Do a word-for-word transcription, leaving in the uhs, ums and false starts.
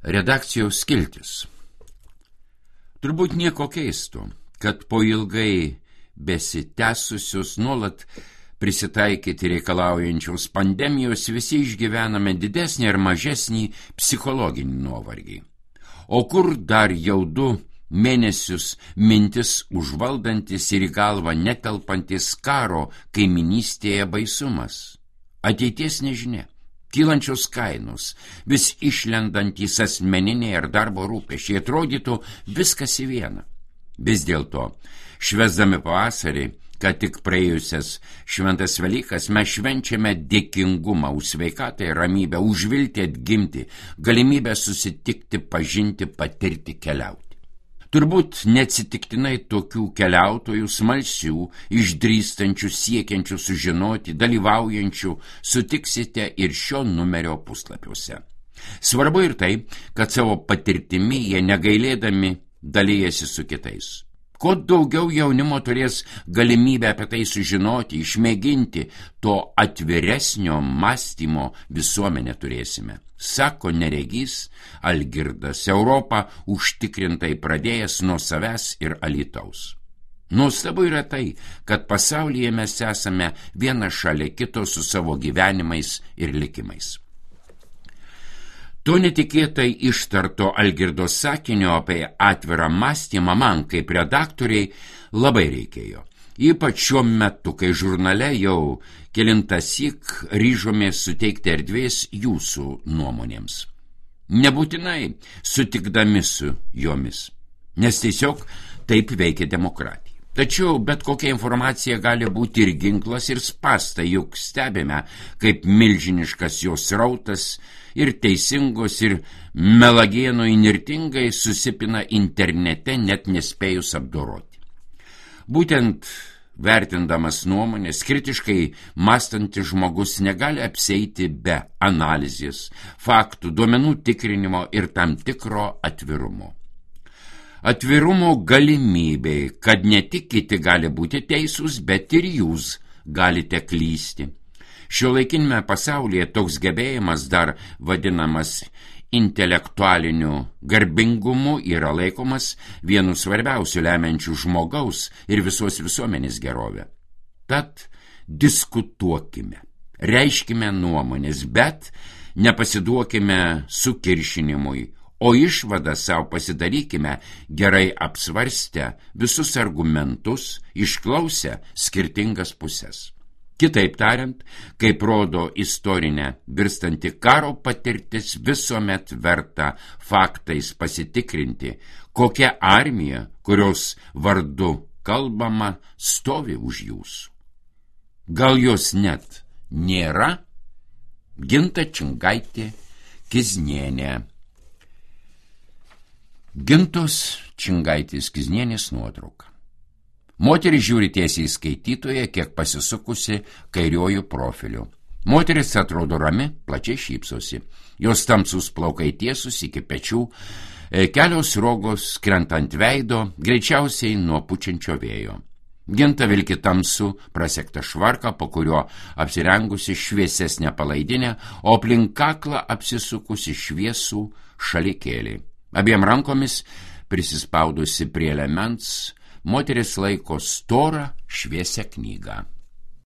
Redakcijos skiltis. Turbūt nieko keisto, kad po ilgai besitęsusios nuolat prisitaikyti reikalaujančios pandemijos visi išgyvename didesnį ar mažesnį psichologinį nuovargį. O kur dar jau du mėnesius mintis užvaldantis ir į galvą netelpantis karo kaiminystėje baisumas. Ateities nežinia. Kylančios kainos, vis išlendantys asmeniniai ar darbo rūpesčiai, atrodytų viskas į vieną. Vis dėlto, švęsdami pavasarį, kad tik praėjusias šventas Velykas, mes švenčiame dėkingumą už sveikatą ir ramybę, už viltį atgimti, galimybę susitikti, pažinti, patirti, keliauti. Turbūt neatsitiktinai tokių keliautojų smalsių, išdrįstančių, siekiančių sužinoti, dalyvaujančių sutiksite ir šio numerio puslapiuose. Svarbu ir tai, kad savo patirtimi jie negailėdami dalijasi su kitais. Kuo daugiau jaunimo turės galimybę apie tai sužinoti, išmėginti, to atviresnio mąstymo visuomenę turėsime. Sako neregys Algirdas, Europą užtikrintai pradėjęs nuo savęs ir Alytaus. Nuostabu yra tai, kad pasaulyje mes esame viena šalia kito su savo gyvenimais ir likimais. To netikėtai ištarto Algirdo sakinio apie atvirą mąstymą man kaip redaktoriai labai reikėjo. Ypač šiuo metu, kai žurnale jau kelintąsyk ryžomės suteikti erdvės jūsų nuomonėms. Nebūtinai sutikdami su jomis, nes tiesiog taip veikia demokratija. Tačiau bet kokia informacija gali būti ir ginklas, ir spąstai, juk stebime, kaip milžiniškas jos srautas ir teisingos, ir melagienų įnirtingai susipina internete, net nespėjus apdoroti. Būtent vertindamas nuomonės, kritiškai mąstantis žmogus negali apsieiti be analizės, faktų, duomenų tikrinimo ir tam tikro atvirumo. Atvirumo galimybei, kad ne tik kiti gali būti teisūs, bet ir jūs galite klysti. Šiuolaikinėme pasaulyje toks gebėjimas, dar vadinamas intelektualiniu garbingumu, yra laikomas vienu svarbiausių lemiančių žmogaus ir visos visuomenės gerovę. Tad diskutuokime, reiškime nuomonės, bet nepasiduokime sukiršinimui, o išvadą savo pasidarykime gerai apsvarstę visus argumentus, išklausę skirtingas pusės. Kitaip tariant, kaip rodo istorinė virstanti karo patirtis, visuomet verta faktais pasitikrinti, kokia armija, kurios vardu kalbama, stovi už jūsų. Gal jos net nėra? Ginta Čingaitė Kiznienė. Gintos Čingaitės Kiznienės nuotrauka. Moteris žiūri tiesiai į skaitytoją, kiek pasisukusi kairiuoju profiliu. Moteris atrodo rami, plačiai šypsosi. Jos tamsus plaukai tiesus iki pečių, kelios rogos krenta ant veido, greičiausiai nuo pučiančio vėjo. Ginta vilki tamsų prasektą švarką, po kurio apsirengusi šviesesnę palaidinę, o aplink kaklą apsisukusi šviesų šalikėlį. Abiem rankomis prisispaudusi prie liemens, moteris laiko storą šviesią knygą.